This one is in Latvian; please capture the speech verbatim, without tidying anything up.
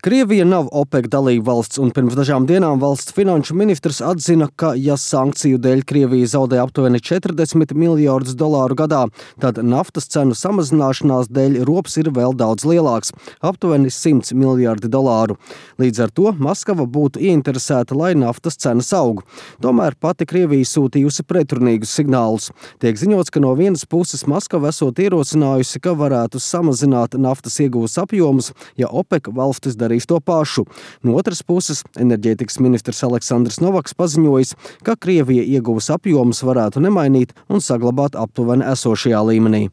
Krievija nav OPEC dalība valsts, un pirms dažām dienām valsts finanšu ministrs atzina, ka, ja sankciju dēļ Krievija zaudē aptuveni četrdesmit miljardus dolāru gadā, tad naftas cenu samazināšanās dēļ rops ir vēl daudz lielāks – aptuveni simts miljardi dolāru. Līdz ar to Maskava būtu ieinteresēta, lai naftas cenas aug. Tomēr pati Krievija sūtījusi pretrunīgus signālus. Tiek ziņots, ka no vienas puses Maskava esot ierosinājusi, ka varētu samazināt naftas ieguves apjomus, ja OPEC valstis darīs to pašu. No otras puses, enerģētikas ministrs Aleksandrs Novaks paziņojis, ka Krievija ieguves apjomus varētu nemainīt un saglabāt aptuveni esošajā līmenī.